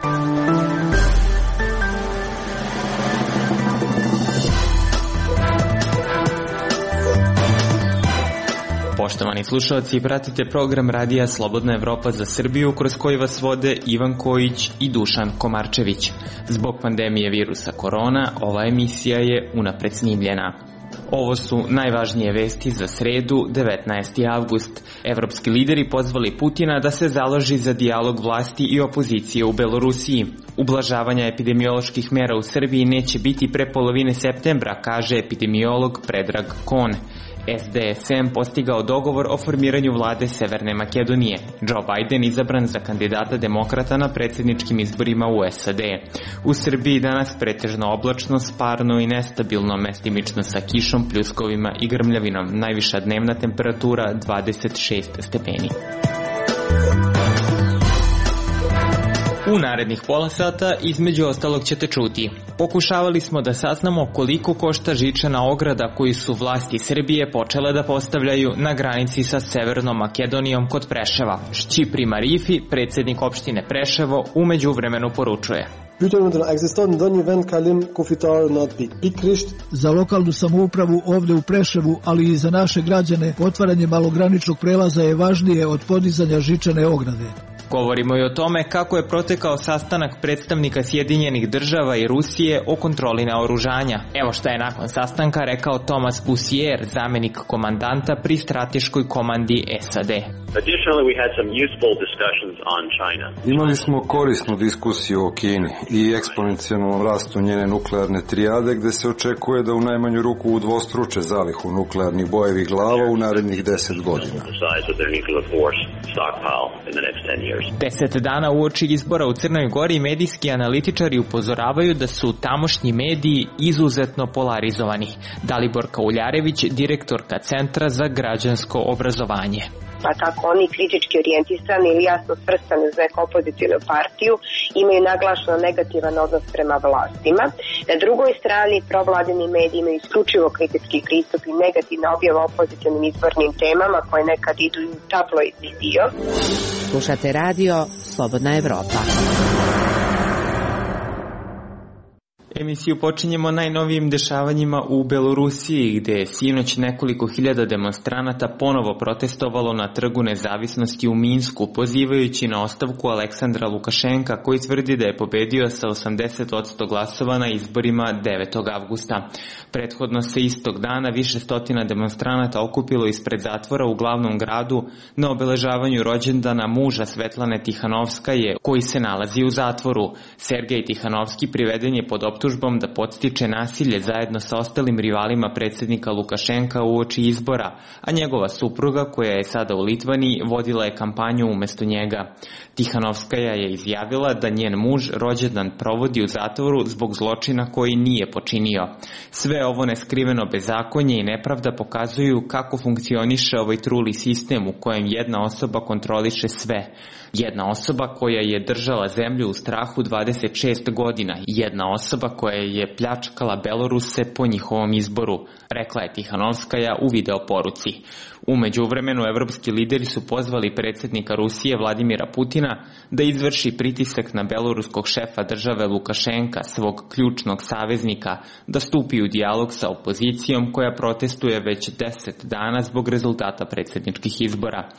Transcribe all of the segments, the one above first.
Poštovani slušalci, pratite program Radija Slobodna Evropa za Srbiju, kroz koji vas vode Ivan Kojić i Dušan Komarčević. Zbog pandemije virusa korona, ova emisija je unapred snimljena. Ovo su najvažnije vesti za sredu, 19. avgust. Evropski lideri pozvali Putina da se založi za dijalog vlasti i opozicije u Belorusiji. Ublažavanja epidemioloških mera u Srbiji neće biti pre polovine septembra, kaže epidemiolog Predrag Kon. SDSM postigao dogovor o formiranju vlade Severne Makedonije. Joe Biden izabran za kandidata demokrata na predsjedničkim izborima u SAD. U Srbiji danas pretežno oblačno, sparno i nestabilno, mestimično sa kišom, pljuskovima i grmljavinom. Najviša dnevna temperatura 26 stepeni. U narednih pola sata između ostalog ćete čuti. Pokušavali smo da saznamo koliko košta žičana ograda koju su vlasti Srbije počele da postavljaju na granici sa Severnom Makedonijom kod Preševa. Šćipri Marifi, predsjednik opštine Preševo, u međuvremenu poručuje. Za lokalnu samoupravu ovde u Preševu, ali i za naše građane, otvaranje malograničnog prelaza je važnije od podizanja žičane ograde. Govorimo i o tome kako je protekao sastanak predstavnika Sjedinjenih država i Rusije o kontroli naoružanja. Evo šta je nakon sastanka rekao Thomas Bussier, zamjenik komandanta pri strateškoj komandi SAD. Imali smo korisnu diskusiju o Kini i eksponencijalnom rastu njene nuklearne trijade, gde se očekuje da u najmanju ruku udvostruče zalihu nuklearnih bojevih glava u narednih 10 godina. 10 dana uoči izbora u Crnoj Gori medijski analitičari upozoravaju da su tamošnji mediji izuzetno polarizovani. Dalibor Kauljarević, direktorka Centra za građansko obrazovanje. Pa tako oni kritički orijentisani ili jasno svrstani uz neku opozicijnu partiju imaju naglašeno negativan odnos prema vlastima. Na drugoj strani provladini mediji imaju isključivo kritički pristup i negativna objava opozicijnim izbornim temama koje nekad idu u tabloidni dio. Slušate radio Slobodna Evropa. Emisiju počinjemo najnovijim dešavanjima u Belorusiji, gde je sinoć nekoliko hiljada demonstranata ponovo protestovalo na Trgu nezavisnosti u Minsku, pozivajući na ostavku Aleksandra Lukašenka, koji tvrdi da je pobedio sa 80% glasova na izborima 9. avgusta. Prethodno se istog dana više stotina demonstranata okupilo ispred zatvora u glavnom gradu na obeležavanju rođendana muža Svetlane Tihanovskaje, koji se nalazi u zatvoru. Sergej Tihanovski priveden je pod optužbom da podstiče nasilje zajedno sa ostalim rivalima predsjednika Lukašenka uoči izbora, a njegova supruga, koja je sada u Litvaniji, vodila je kampanju umesto njega. Tihanovskaja je izjavila da njen muž rođendan provodi u zatvoru zbog zločina koji nije počinio. Sve ovo neskriveno bezakonje i nepravda pokazuju kako funkcioniše ovaj truli sistem u kojem jedna osoba kontroliše sve. Jedna osoba koja je držala zemlju u strahu 26 godina. Jedna osoba koja je pljačkala Beloruse po njihovom izboru, rekla je Tihanovskaja u videoporuci. U međuvremenu evropski lideri su pozvali predsjednika Rusije Vladimira Putina da izvrši pritisak na beloruskog šefa države Lukašenka, svog ključnog saveznika, da stupi u dijalog sa opozicijom koja protestuje već 10 dana zbog rezultata predsjedničkih izbora.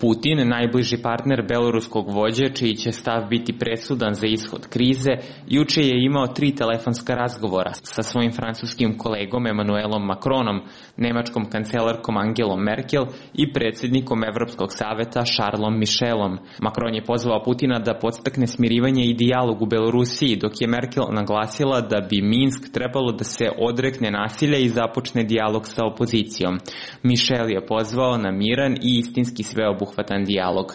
Putin, najbliži partner beloruskog vođe, čiji će stav biti presudan za ishod krize, juče je imao 3 telefonska razgovora sa svojim francuskim kolegom Emmanuelom Macronom, nemačkom kancelarkom Angelom Merkel i predsjednikom Evropskog saveta Charlesom Michelom. Macron je pozvao Putina da podstakne smirivanje i dijalog u Belorusiji, dok je Merkel naglasila da bi Minsk trebalo da se odrekne nasilja i započne dijalog sa opozicijom. Michel je pozvao na miran i istinski sveobuhvatan dijalog.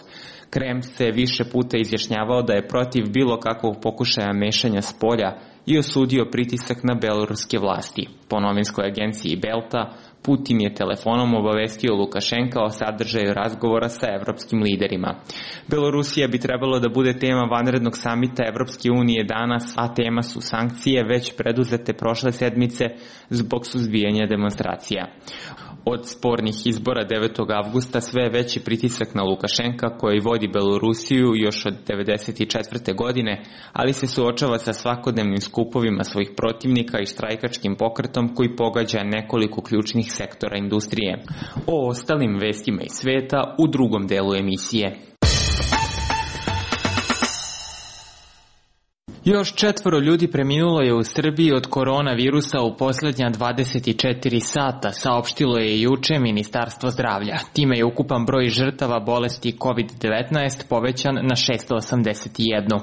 Kreml se više puta izjašnjavao da je protiv bilo kakvog pokušaja mešanja spolja i osudio pritisak na beloruske vlasti. Po novinskoj agenciji Belta, Putin je telefonom obavestio Lukašenka o sadržaju razgovora sa evropskim liderima. Belorusija bi trebalo da bude tema vanrednog samita Evropske unije danas, a tema su sankcije već preduzete prošle sedmice zbog suzbijanja demonstracija. Od spornih izbora 9. avgusta sve je veći pritisak na Lukašenka koji vodi Belorusiju još od 1994. godine, ali se suočava sa svakodnevnim skupovima svojih protivnika i štrajkačkim pokretom koji pogađa nekoliko ključnih sektora industrije. O ostalim vestima iz sveta u drugom delu emisije. Još 4 ljudi preminulo je u Srbiji od koronavirusa u posljednja 24 sata, saopštilo je juče Ministarstvo zdravlja. Time je ukupan broj žrtava bolesti COVID-19 povećan na 681.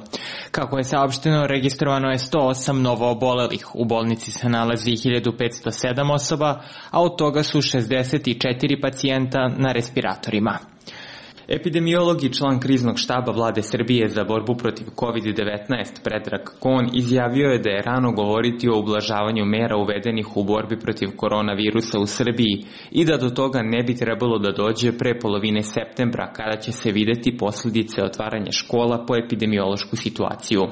Kako je saopšteno, registrovano je 108 novoobolelih. U bolnici se nalazi 1507 osoba, a od toga su 64 pacijenta na respiratorima. Epidemiolog i član kriznog štaba Vlade Srbije za borbu protiv COVID-19 Predrag Kon izjavio je da je rano govoriti o ublažavanju mera uvedenih u borbi protiv koronavirusa u Srbiji i da do toga ne bi trebalo da dođe pre polovine septembra kada će se videti posljedice otvaranja škola po epidemiološku situaciju.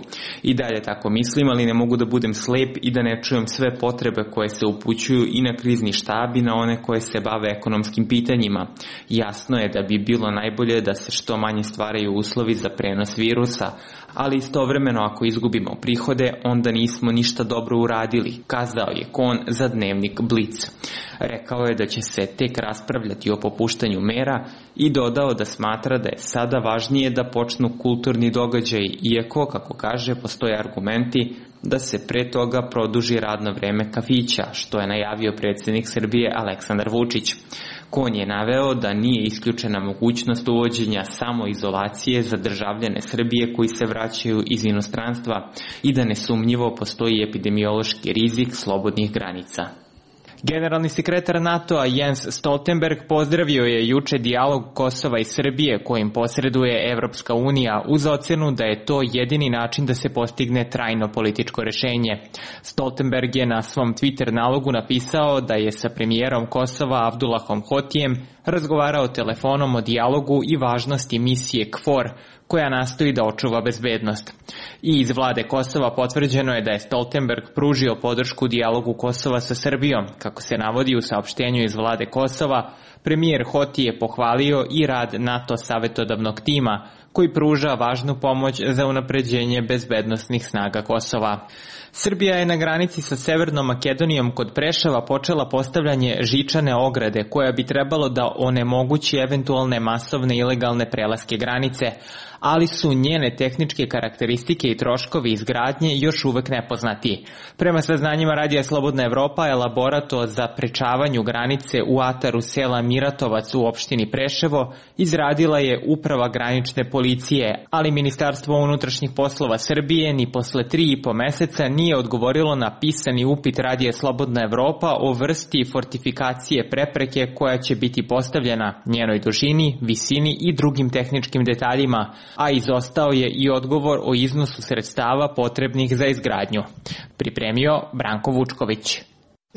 I dalje tako mislim, ali ne mogu da budem slep i da ne čujem sve potrebe koje se upućuju i na krizni štab i na one koje se bave ekonomskim pitanjima. Jasno je da bi bilo najbolje da se što manje stvaraju uslovi za prenos virusa, ali istovremeno ako izgubimo prihode, onda nismo ništa dobro uradili, kazao je Kon za dnevnik Blic. Rekao je da će se tek raspravljati o popuštanju mera i dodao da smatra da je sada važnije da počnu kulturni događaji, iako, kako kaže, postoje argumenti da se pre toga produži radno vreme kafića, što je najavio predsjednik Srbije Aleksandar Vučić. Kon je naveo da nije isključena mogućnost uvođenja samoizolacije za državljane Srbije koji se vraćaju iz inostranstva i da nesumnjivo postoji epidemiološki rizik slobodnih granica. Generalni sekretar NATO-a Jens Stoltenberg pozdravio je juče dijalog Kosova i Srbije kojim posreduje Evropska unija uz ocenu da je to jedini način da se postigne trajno političko rešenje. Stoltenberg je na svom Twitter nalogu napisao da je sa premijerom Kosova Abdullahom Hotijem razgovarao telefonom o dijalogu i važnosti misije KFOR, koja nastoji da očuva bezbednost. I iz vlade Kosova potvrđeno je da je Stoltenberg pružio podršku dijalogu Kosova sa Srbijom. Kako se navodi u saopštenju iz vlade Kosova, premijer Hoti je pohvalio i rad NATO savetodavnog tima, koji pruža važnu pomoć za unapređenje bezbednosnih snaga Kosova. Srbija je na granici sa Severnom Makedonijom kod Preševa počela postavljanje žičane ograde koja bi trebalo da onemogući eventualne masovne ilegalne prelaske granice, ali su njene tehničke karakteristike i troškovi izgradnje još uvek nepoznati. Prema saznanjima Radija Slobodna Evropa, elaborat o zaprečavanju granice u ataru sela Miratovac u opštini Preševo izradila je Uprava granične policije, ali Ministarstvo unutrašnjih poslova Srbije ni posle 3,5 meseca nije odgovorilo na pisani upit Radija Slobodna Evropa o vrsti fortifikacije prepreke koja će biti postavljena, njenoj dužini, visini i drugim tehničkim detaljima, a izostao je i odgovor o iznosu sredstava potrebnih za izgradnju. Pripremio Branko Vučković.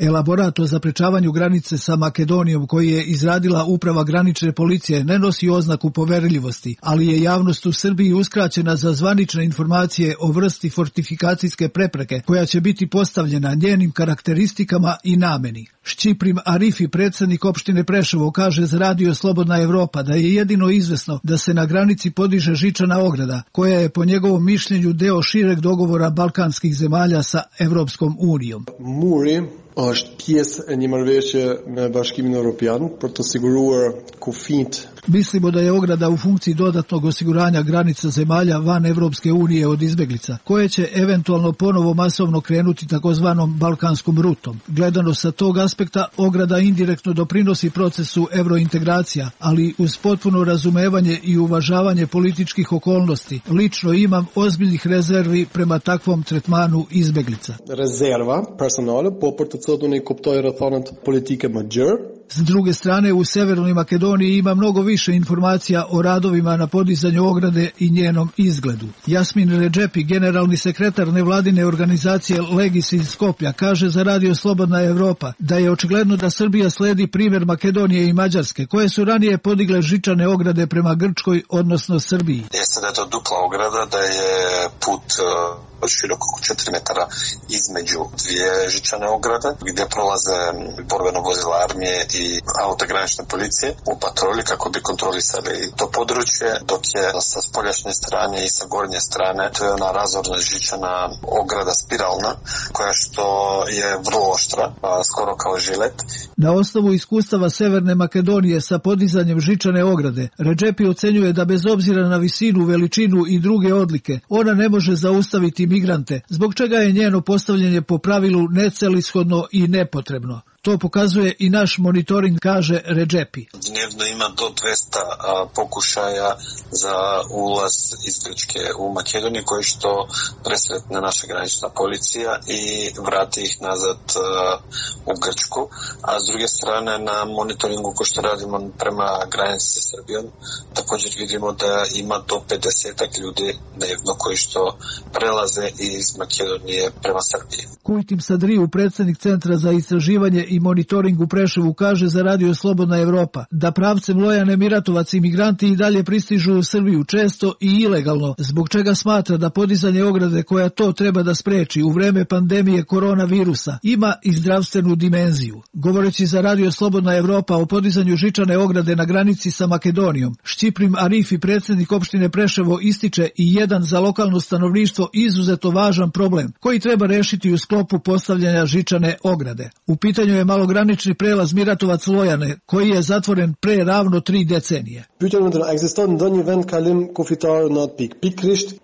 Elaborat o zaprečavanju granice sa Makedonijom koji je izradila Uprava granične policije ne nosi oznaku poverljivosti, ali je javnost u Srbiji uskraćena za zvanične informacije o vrsti fortifikacijske prepreke koja će biti postavljena, njenim karakteristikama i nameni. Šćiprim Arifi, predsjednik opštine Preševo, kaže za Radio Slobodna Evropa da je jedino izvesno da se na granici podiže žičana ograda, koja je po njegovom mišljenju deo šireg dogovora balkanskih zemalja sa Evropskom unijom. Është pjesë e një marrëveshje me Bashkimin Evropian për të siguruar kufijt. Mislimo da je ograda u funkciji dodatnog osiguranja granica zemalja van Evropske unije od izbeglica, koje će eventualno ponovo masovno krenuti takozvanom balkanskom rutom. Gledano sa tog aspekta, ograda indirektno doprinosi procesu evrointegracija, ali uz potpuno razumevanje i uvažavanje političkih okolnosti. Lično imam ozbiljnih rezervi prema takvom tretmanu izbeglica. Rezerva personale, po për të cilën i kuptoj rrethanat politike më gjerë. S druge strane, u Severnoj Makedoniji ima mnogo više informacija o radovima na podizanju ograde i njenom izgledu. Jasmin Redžepi, generalni sekretar nevladine organizacije Legis iz Skoplja, kaže za Radio Slobodna Evropa da je očigledno da Srbija sledi primjer Makedonije i Mađarske, koje su ranije podigle žičane ograde prema Grčkoj, odnosno Srbiji. Jeste da je to dupla ograda, da je put široko oko 4 metara između dvije žičane ograde gdje prolaze borbeno vozila armije i auta granične policije u patrolji kako bi kontrolisali to područje, dok je sa spoljašnje strane i sa gornje strane to je ona razorna žičana ograda spiralna koja što je vrlo oštra, skoro kao žilet. Na osnovu iskustava Severne Makedonije sa podizanjem žičane ograde, Redžepi ocenjuje da bez obzira na visinu, veličinu i druge odlike, ona ne može zaustaviti migrante, zbog čega je njeno postavljanje po pravilu necelishodno i nepotrebno. To pokazuje i naš monitoring, kaže Redžepi. Dnevno ima do 200 pokušaja za ulaz iz Grčke u Makedoniju koji što presretne naša granična policija i vrati ih nazad u Grčku. A s druge strane na monitoringu ko što radimo prema granici sa Srbijom također vidimo da ima do 50 ljudi dnevno koji što prelaze iz Makedonije prema Srbiji. Kujtim Sadriju, predsjednik Centra za istraživanje i monitoring u Preševu, kaže za Radio Slobodna Evropa da pravcem Lojane Miratovac imigranti i dalje pristižu u Srbiju često i ilegalno, zbog čega smatra da podizanje ograde koja to treba da spreči u vreme pandemije koronavirusa ima i zdravstvenu dimenziju. Govoreći za Radio Slobodna Evropa o podizanju žičane ograde na granici sa Makedonijom, Šćiprim Arifi, predsjednik opštine Preševo, ističe i jedan za lokalno stanovništvo izuzetno važan problem koji treba rešiti u sklopu postavljanja žičane ograde. U pitanju je malogranični prelaz Miratovac-Lojane, koji je zatvoren pre ravno 3 decenije.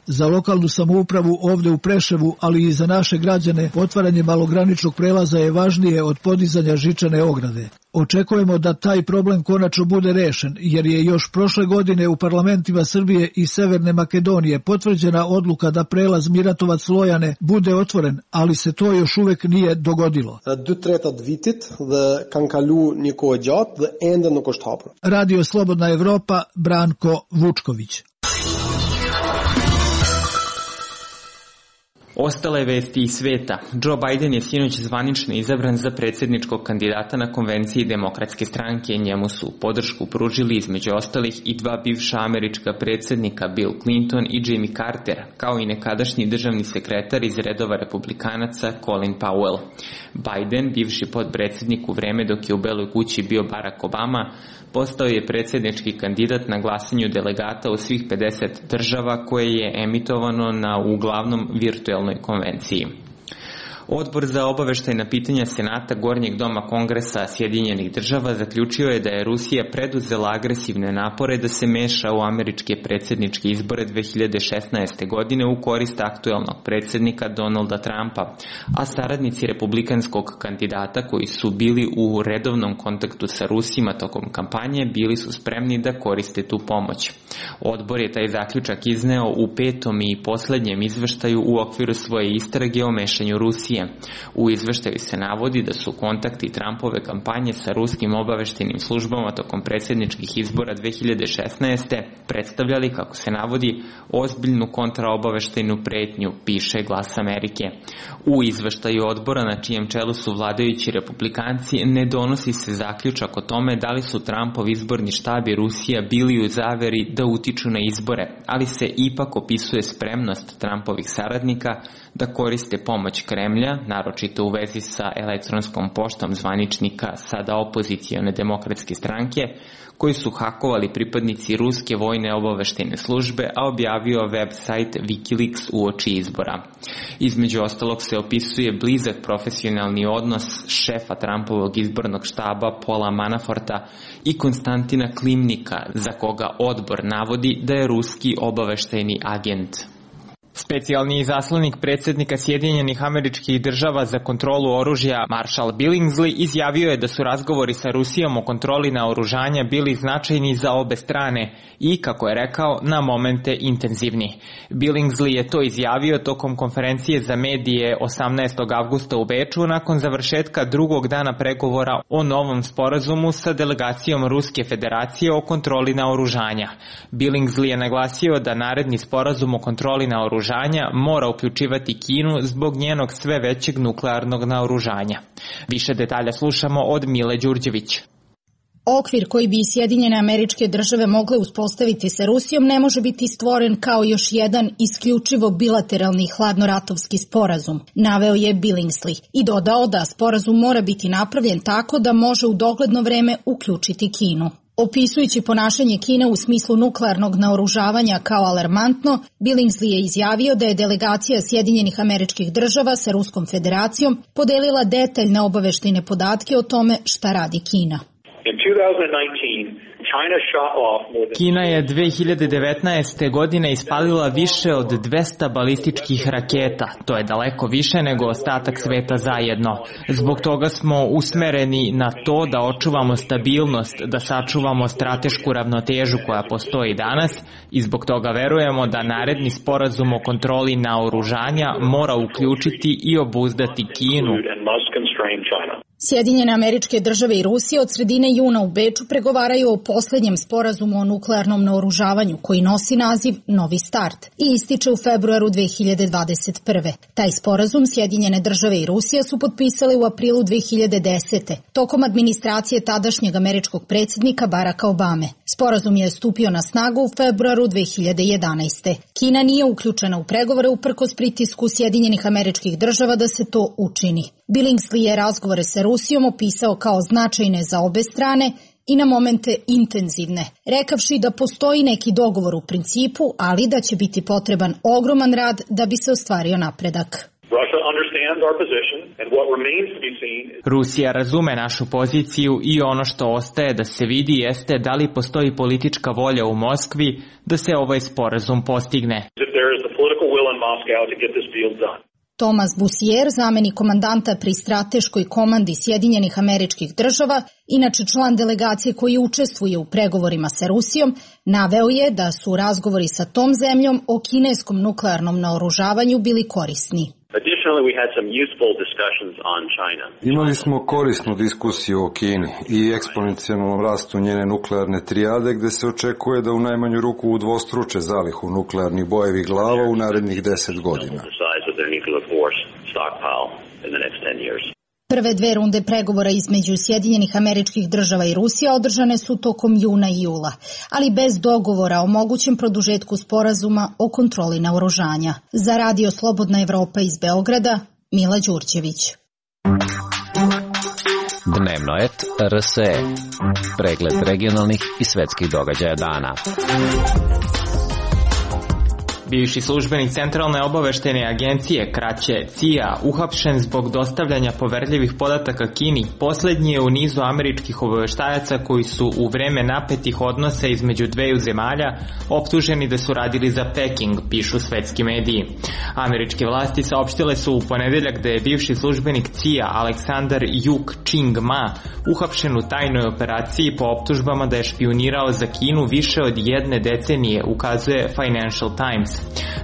Za lokalnu samoupravu ovde u Preševu, ali i za naše građane, otvaranje malograničnog prelaza je važnije od podizanja žičane ograde. Očekujemo da taj problem konačno bude rešen, jer je još prošle godine u parlamentima Srbije i Severne Makedonije potvrđena odluka da prelaz Miratovac-Lojane bude otvoren, ali se to još uvek nije dogodilo. Radio Slobodna Evropa, Branko Vučković. Ostale vesti iz sveta. Joe Biden je sinoć zvanično izabran za predsjedničkog kandidata na konvenciji Demokratske stranke. Njemu su podršku pružili između ostalih i 2 bivša američka predsjednika, Bill Clinton i Jimmy Carter, kao i nekadašnji državni sekretar iz redova republikanaca Colin Powell. Biden, bivši potpredsjednik u vreme dok je u Beloj kući bio Barack Obama, postao je predsjednički kandidat na glasanju delegata u svih 50 država koje je emitovano na uglavnom virtuelnoj konvenciji. Odbor za obaveštajna pitanja Senata Gornjeg doma Kongresa Sjedinjenih država zaključio je da je Rusija preduzela agresivne napore da se meša u američke predsjedničke izbore 2016. godine u korist aktuelnog predsjednika Donalda Trumpa, a saradnici republikanskog kandidata koji su bili u redovnom kontaktu sa Rusima tokom kampanje bili su spremni da koriste tu pomoć. Odbor je taj zaključak izneo u 5. i poslednjem izveštaju u okviru svoje istrage o mešanju Rusije. U izveštaju se navodi da su kontakti Trumpove kampanje sa ruskim obaveštajnim službama tokom predsjedničkih izbora 2016. predstavljali, kako se navodi, ozbiljnu kontraobaveštajnu pretnju, piše Glas Amerike. U izveštaju odbora, na čijem čelu su vladajući republikanci, ne donosi se zaključak o tome da li su Trumpov izborni štab i Rusija bili u zaveri da utiču na izbore, ali se ipak opisuje spremnost Trumpovih saradnika da koriste pomoć Kremlja, naročito u vezi sa elektronskom poštom zvaničnika sada opozicione Demokratske stranke, koji su hakovali pripadnici ruske vojne obaveštajne službe, a objavio web sajt Wikileaks uoči izbora. Između ostalog se opisuje blizak profesionalni odnos šefa Trumpovog izbornog štaba Paula Manaforta i Konstantina Klimnika, za koga odbor navodi da je ruski obaveštajni agent. Specijalni izaslanik predsjednika Sjedinjenih Američkih Država za kontrolu oružja Marshall Billingsley izjavio je da su razgovori sa Rusijom o kontroli naoružanja bili značajni za obe strane i, kako je rekao, na momente intenzivni. Billingsley je to izjavio tokom konferencije za medije 18. avgusta u Beču nakon završetka drugog dana pregovora o novom sporazumu sa delegacijom Ruske federacije o kontroli naoružanja. Billingsley je naglasio da naredni sporazum o kontroli naoružanja mora uključivati Kinu zbog njenog sve većeg nuklearnog naoružanja. Više detalja slušamo od Mile Đurđević. Okvir koji bi Sjedinjene Američke Države mogle uspostaviti sa Rusijom ne može biti stvoren kao još jedan isključivo bilateralni hladnoratovski sporazum, naveo je Billingsley i dodao da sporazum mora biti napravljen tako da može u dogledno vreme uključiti Kinu. Opisujući ponašanje Kine u smislu nuklearnog naoružavanja kao alarmantno, Billingsley je izjavio da je delegacija Sjedinjenih Američkih Država sa Ruskom Federacijom podelila detaljne obaveštajne podatke o tome šta radi Kina. Kina je 2019. godine ispalila više od 200 balističkih raketa. To je daleko više nego ostatak sveta zajedno. Zbog toga smo usmereni na to da očuvamo stabilnost, da sačuvamo stratešku ravnotežu koja postoji danas i zbog toga verujemo da naredni sporazum o kontroli naoružanja mora uključiti i obuzdati Kinu. Sjedinjene Američke Države i Rusija od sredine juna u Beču pregovaraju o poslednjem sporazumu o nuklearnom naoružavanju koji nosi naziv Novi start i ističe u februaru 2021. Taj sporazum Sjedinjene Države i Rusija su potpisali u aprilu 2010. tokom administracije tadašnjeg američkog predsjednika Baracka Obame. Sporazum je stupio na snagu u februaru 2011. Kina nije uključena u pregovore uprkos pritisku Sjedinjenih Američkih Država da se to učini. Billingsley je razgovore sa Rusijom opisao kao značajne za obe strane i na momente intenzivne, rekavši da postoji neki dogovor u principu, ali da će biti potreban ogroman rad da bi se ostvario napredak. Rusija razume našu poziciju i ono što ostaje da se vidi jeste da li postoji politička volja u Moskvi da se ovaj sporazum postigne. Thomas Bussier, zamenik komandanta pri strateškoj komandi Sjedinjenih Američkih Država, inače član delegacije koji učestvuje u pregovorima sa Rusijom, naveo je da su razgovori sa tom zemljom o kineskom nuklearnom naoružavanju bili korisni. Imali smo korisnu diskusiju o Kini i eksponencijalnom rastu njene nuklearne trijade, gde se očekuje da u najmanju ruku udvostruče zalihu nuklearnih bojevih glava u narednih 10 godina. Prve dve runde pregovora između Sjedinjenih Američkih Država i Rusija održane su tokom juna i jula, ali bez dogovora o mogućem produžetku sporazuma o kontroli naoružanja. Za Radio Slobodna Evropa iz Beograda, Mila Đurđević. Dnevnoet RSE. Pregled regionalnih i svetskih događaja dana. Bivši službenik Centralne obaveštajne agencije, kraće CIA, uhapšen zbog dostavljanja poverljivih podataka Kini, poslednji je u nizu američkih obaveštajaca koji su u vreme napetih odnosa između dveju zemalja optuženi da su radili za Peking, pišu svetski mediji. Američke vlasti saopštile su u ponedeljak da je bivši službenik CIA Aleksandar Yuk Ching Ma uhapšen u tajnoj operaciji po optužbama da je špijunirao za Kinu više od jedne decenije, ukazuje Financial Times.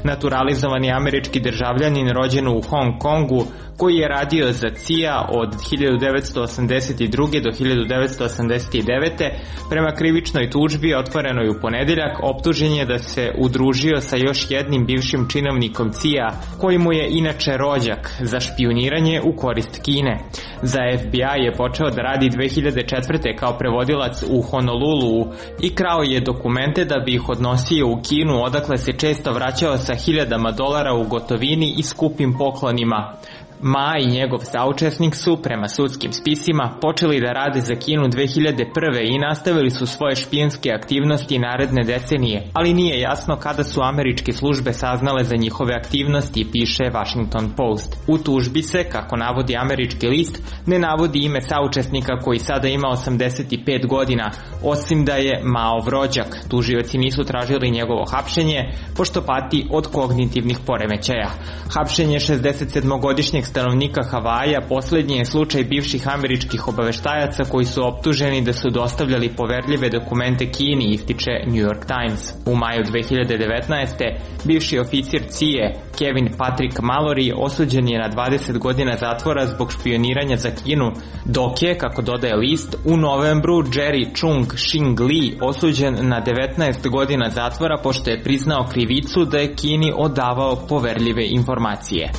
Naturalizovani američki državljanin rođen u Hong Kongu, koji je radio za CIA od 1982. do 1989. prema krivičnoj tužbi otvorenoj u ponedeljak, optužen je da se udružio sa još jednim bivšim činovnikom CIA, koji mu je inače rođak, za špijuniranje u korist Kine. Za FBI je počeo da radi 2004. kao prevodilac u Honolulu i krao je dokumente da bi ih odnosio u Kinu, odakle se često vraćao sa $1.000 u gotovini i skupim poklonima. Ma i njegov saučesnik su, prema sudskim spisima, počeli da rade za Kinu 2001. i nastavili su svoje špijenske aktivnosti naredne decenije, ali nije jasno kada su američke službe saznale za njihove aktivnosti, piše Washington Post. U tužbi se, kako navodi američki list, ne navodi ime saučesnika koji sada ima 85 godina, osim da je Maov rođak. Tužioci nisu tražili njegovo hapšenje, pošto pati od kognitivnih poremećaja. Hapšenje 67-godišnjeg stanovnika Havaja poslednji je slučaj bivših američkih obaveštajaca koji su optuženi da su dostavljali poverljive dokumente Kini, ističe New York Times. U maju 2019. bivši oficir CIA Kevin Patrick Mallory osuđen je na 20 godina zatvora zbog špioniranja za Kinu, dok je, kako dodaje list, u novembru Jerry Chung Shing Lee osuđen na 19 godina zatvora pošto je priznao krivicu da je Kini odavao poverljive informacije.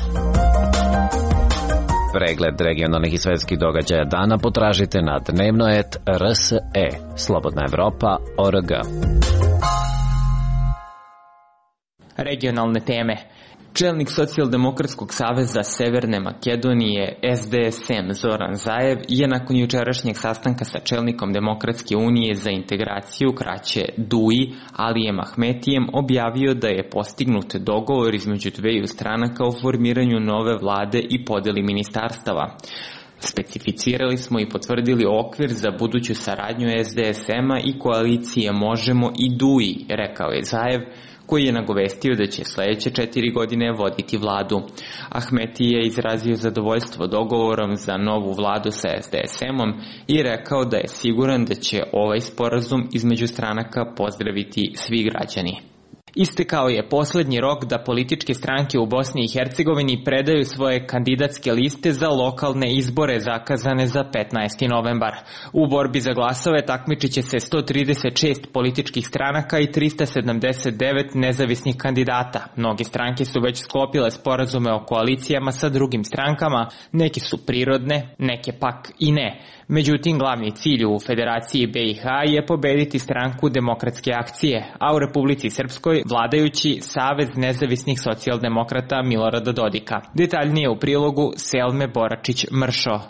Pregled regionalnih i svetskih događaja dana potražite na dnevnoet.rse, Slobodna Evropa.org. Regionalne teme. Čelnik Socijaldemokratskog saveza Severne Makedonije SDSM Zoran Zaev je nakon jučerašnjeg sastanka sa čelnikom Demokratske unije za integraciju, kraće DUI, Alijem Ahmetijem, objavio da je postignut dogovor između dveju stranaka o formiranju nove vlade i podeli ministarstava. Specificirali smo i potvrdili okvir za buduću saradnju SDSM-a i koalicije Možemo i DUI, rekao je Zaev, koji je nagovestio da će sledeće 4 godine voditi vladu. Ahmeti je izrazio zadovoljstvo dogovorom za novu vladu sa SDSM-om i rekao da je siguran da će ovaj sporazum između stranaka pozdraviti svi građani. Istekao je poslednji rok da političke stranke u Bosni i Hercegovini predaju svoje kandidatske liste za lokalne izbore zakazane za 15. novembar. U borbi za glasove takmičit će se 136 političkih stranaka i 379 nezavisnih kandidata. Mnoge stranke su već sklopile sporazume o koalicijama sa drugim strankama, neke su prirodne, neke pak i ne. Međutim, glavni cilj u Federaciji BiH je pobediti stranku Demokratske akcije, a u Republici Srpskoj vladajući Savez nezavisnih socijaldemokrata Milorada Dodika. Detaljnije u prilogu Selme Boračić-Mršo.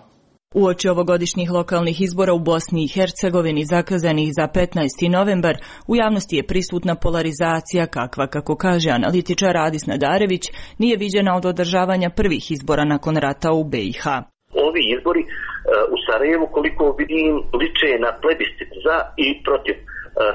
Uoči ovogodišnjih lokalnih izbora u Bosni i Hercegovini zakazanih za 15. novembar, u javnosti je prisutna polarizacija kakva, kako kaže analitičar Adis Nadarević, nije viđena od održavanja prvih izbora nakon rata u BiH. Ovi izbori u Sarajevu, koliko vidim, liče na plebiscit za i protiv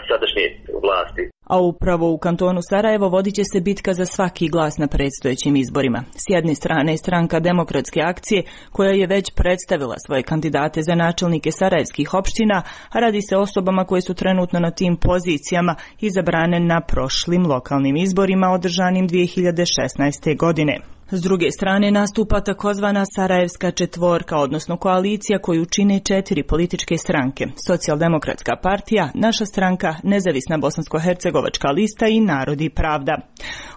sadašnje vlasti. A upravo u kantonu Sarajevo vodit će se bitka za svaki glas na predstojećim izborima. S jedne strane je stranka Demokratske akcije, koja je već predstavila svoje kandidate za načelnike sarajevskih opština, a radi se o osobama koje su trenutno na tim pozicijama izabrane na prošlim lokalnim izborima održanim 2016. godine. S druge strane nastupa takozvana Sarajevska četvorka, odnosno koalicija koju čine 4 političke stranke: Socijaldemokratska partija, Naša stranka, Nezavisna bosansko-hercegovačka lista i Narod i pravda.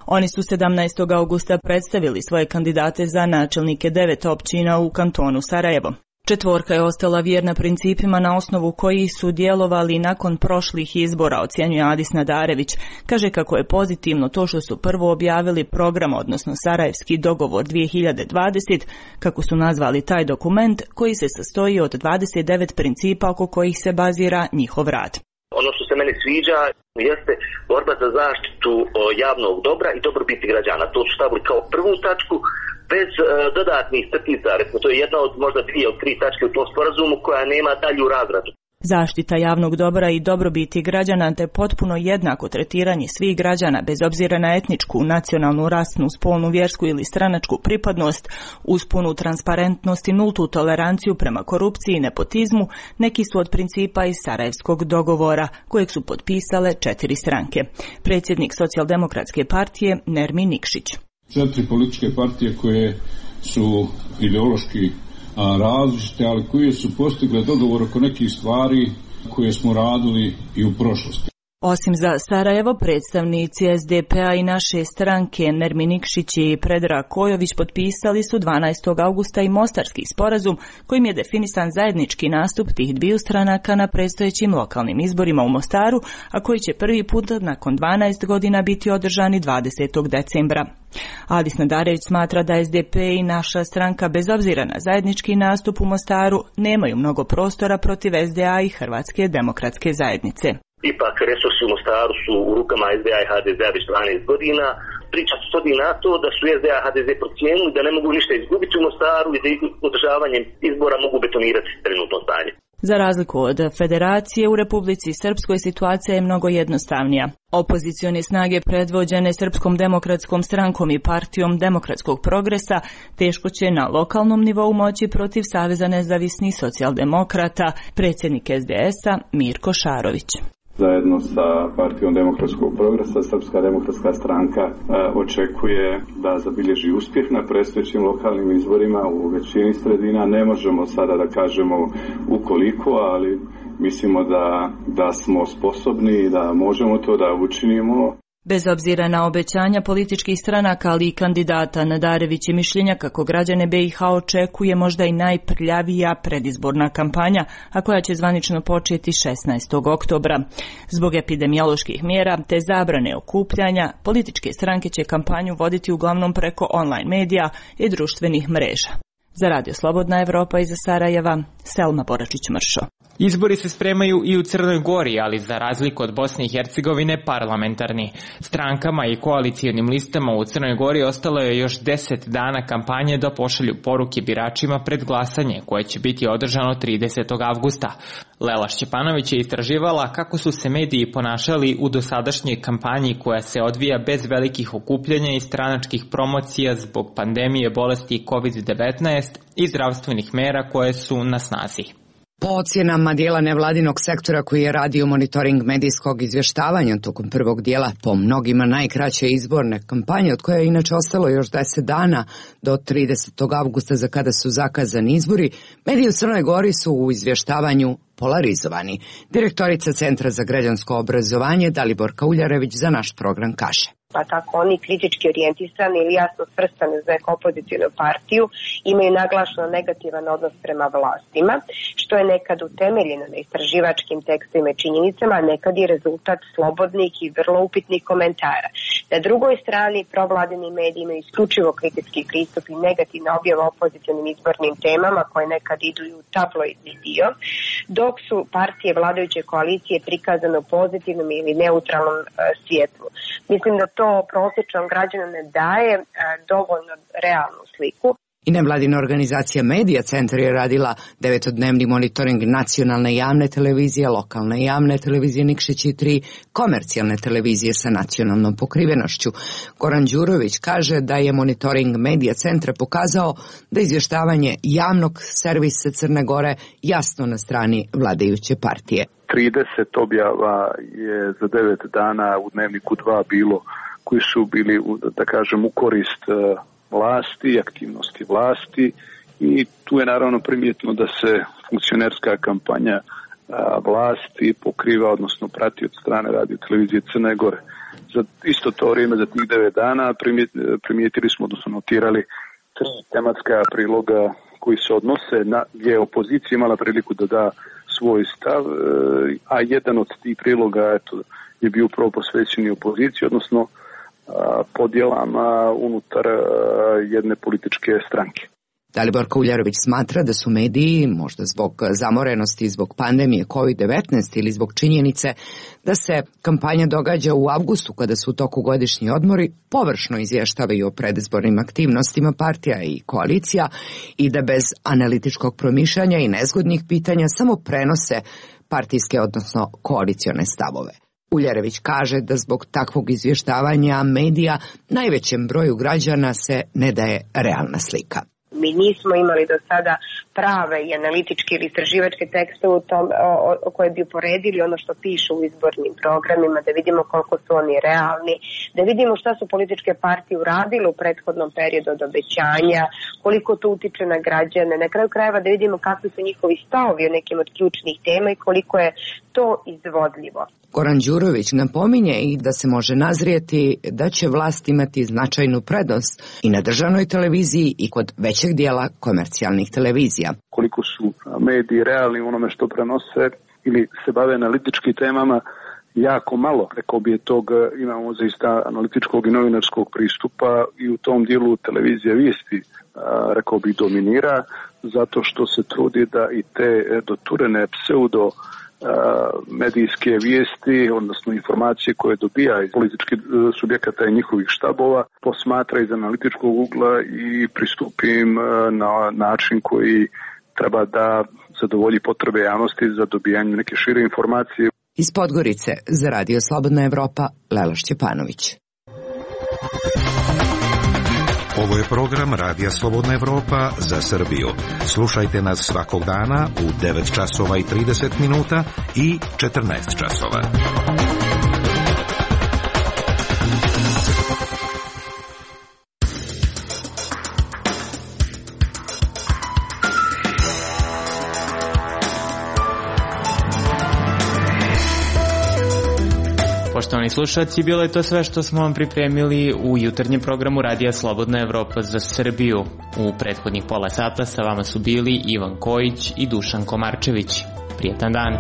Oni su 17. augusta predstavili svoje kandidate za načelnike 9 općina u kantonu Sarajevo. Četvorka je ostala vjerna principima na osnovu kojih su djelovali nakon prošlih izbora, ocjenjuje Adis Nadarević. Kaže kako je pozitivno to što su prvo objavili program, odnosno Sarajevski dogovor 2020, kako su nazvali taj dokument, koji se sastoji od 29 principa oko kojih se bazira njihov rad. Ono što se meni sviđa jeste borba za zaštitu javnog dobra i dobrobiti građana. To su stavili kao prvu tačku, bez dodatnih crtica. To je jedna od možda 2 od 3 tačke u tom sporazumu koja nema dalju razradu. Zaštita javnog dobra i dobrobiti građana te potpuno jednako tretiranje svih građana bez obzira na etničku, nacionalnu, rasnu, spolnu, vjersku ili stranačku pripadnost, uz punu transparentnost i nultu toleranciju prema korupciji i nepotizmu neki su od principa iz Sarajevskog dogovora, kojeg su potpisale 4 stranke. Predsjednik Socijaldemokratske partije Nermin Nikšić. 4 političke partije koje su ideološki različite, ali koje su postigle dogovor oko nekih stvari koje smo radili i u prošlosti. Osim za Sarajevo, predstavnici SDP-a i Naše stranke Nermin Nikšić i Predrag Kojović potpisali su 12. augusta i Mostarski sporazum kojim je definisan zajednički nastup tih dviju stranaka na predstojećim lokalnim izborima u Mostaru, a koji će prvi put nakon 12 godina biti održani 20. decembra. Adis Nadarević smatra da SDP i Naša stranka bez obzira na zajednički nastup u Mostaru nemaju mnogo prostora protiv SDA i Hrvatske demokratske zajednice. Ipak resursi u Mostaru su u rukama SDA i HDZ-a već 12 godina. Priča se svodi na to da su SDA i HDZ procijenili da ne mogu ništa izgubiti u Mostaru i da održavanjem izbora mogu betonirati trenutno stanje. Za razliku od federacije, u Republici Srpskoj situacija je mnogo jednostavnija. Opozicione snage predvođene Srpskom demokratskom strankom i partijom Demokratskog progresa teško će na lokalnom nivou moći protiv Saveza nezavisnih socijaldemokrata, predsjednik SDS-a Mirko Šarović. Zajedno sa partijom Demokratskog progresa, Srpska demokratska stranka očekuje da zabilježi uspjeh na predstojećim lokalnim izborima u većini sredina. Ne možemo sada da kažemo ukoliko, ali mislimo da smo sposobni i da možemo to da učinimo. Bez obzira na obećanja političkih stranaka, ali i kandidata, Nadarević je mišljenja kako građane BiH očekuje možda i najprljavija predizborna kampanja, a koja će zvanično početi 16. oktobra. Zbog epidemioloških mjera te zabrane okupljanja, političke stranke će kampanju voditi uglavnom preko online medija i društvenih mreža. Za Radio Slobodna Evropa iz Sarajeva, Selma Boračić-Mršo. Izbori se spremaju i u Crnoj Gori, ali za razliku od Bosne i Hercegovine parlamentarni. Strankama i koalicijonim listama u Crnoj Gori ostalo je još 10 dana kampanje da pošalju poruke biračima pred glasanje, koje će biti održano 30. avgusta. Lela Šćepanović je istraživala kako su se mediji ponašali u dosadašnjoj kampanji koja se odvija bez velikih okupljanja i stranačkih promocija zbog pandemije bolesti COVID-19 i zdravstvenih mera koje su na snazi. Po ocjenama dijela nevladinog sektora koji je radio monitoring medijskog izvještavanja tokom prvog dijela po mnogima najkraće izborne kampanje, od koje je inače ostalo još 10 dana do 30. avgusta za kada su zakazani izbori, mediji u Crnoj Gori su u izvještavanju polarizovani. Direktorica Centra za građansko obrazovanje Daliborka Uljarević za naš program kaže. Pa tako oni kritički orijentisani ili jasno svrstani za neku opozicijnu partiju imaju naglašeno negativan odnos prema vlastima, što je nekad utemeljeno na istraživačkim tekstovima i činjenicama, a nekad i rezultat slobodnih i vrlo upitnih komentara. Na drugoj strani, provladini mediji imaju isključivo kritički pristup i negativna objava opozicionim izbornim temama koje nekad idu i u tabloidni dio, dok su partije vladajuće koalicije prikazane u pozitivnom ili neutralnom svjetlu. Mislim da to prosječnom građanu ne daje dovoljno realnu sliku. I nevladina organizacija Medija Centar je radila 9-dnevni monitoring nacionalne javne televizije, lokalne javne televizije Nikšić i 3 komercijalne televizije sa nacionalnom pokrivenošću. Goran Đurović kaže da je monitoring Medija Centra pokazao da izvještavanje javnog servisa Crne Gore jasno na strani vladajuće partije. 30 objava je za 9 dana u Dnevniku 2 bilo koji su bili, da kažem, u korist vlasti, aktivnosti vlasti i tu je naravno primjetno da se funkcionerska kampanja vlasti pokriva, odnosno prati od strane radio televizije Crne Gore. Za isto to vrijeme, za tih 9 dana primijetili smo, odnosno notirali 3 tematska priloga koji se odnose na gdje je opozicija imala priliku da da svoj stav, a jedan od tih priloga je bio upravo posvećen opoziciji, odnosno podjelama unutar jedne političke stranke. Daliborka Uljarević smatra da su mediji, možda zbog zamorenosti, zbog pandemije COVID-19 ili zbog činjenice da se kampanja događa u avgustu kada su u toku godišnji odmori, površno izvještavaju o predizbornim aktivnostima partija i koalicija i da bez analitičkog promišljanja i nezgodnih pitanja samo prenose partijske, odnosno koalicione stavove. Uljarević kaže da zbog takvog izvještavanja medija najvećem broju građana se ne daje realna slika. Mi nismo imali do sada prave i analitičke ili istraživačke tekste koje bi uporedili ono što piše u izbornim programima, da vidimo koliko su oni realni, da vidimo šta su političke partije uradile u prethodnom periodu od obećanja, koliko to utiče na građane, na kraju krajeva da vidimo kakvi su njihovi stavovi o nekim od ključnih tema i koliko je to izvodljivo. Goran Đurović napominje i da se može nazrijeti da će vlast imati značajnu prednost i na državnoj televiziji i kod većeg dijela komercijalnih televizija. Koliko su mediji realni u onome što prenose ili se bave analitičkim temama, jako malo, rekao bi, tog imamo zaista analitičkog i novinarskog pristupa i u tom dijelu televizija vijesti, rekao bi, dominira, zato što se trudi da i te doturene pseudo medijske vijesti, odnosno informacije koje dobija iz političkih subjekata i njihovih štabova, posmatra iz analitičkog ugla i pristupi im na način koji treba da zadovolji potrebe javnosti za dobijanje neke šire informacije. Iz Podgorice za Radio Slobodna Evropa, Lela Šćepanović. Ovo je program Radija Slobodna Evropa za Srbiju. Slušajte nas svakog dana u 9 časova i 30 minuta i 14 časova. Poštovani Poštovani slušalci, bilo je to sve što smo vam pripremili u jutarnjem programu Radija Slobodna Evropa za Srbiju. U prethodnih pola sata sa vama su bili Ivan Kojić i Dušan Komarčević. Prijetan dan.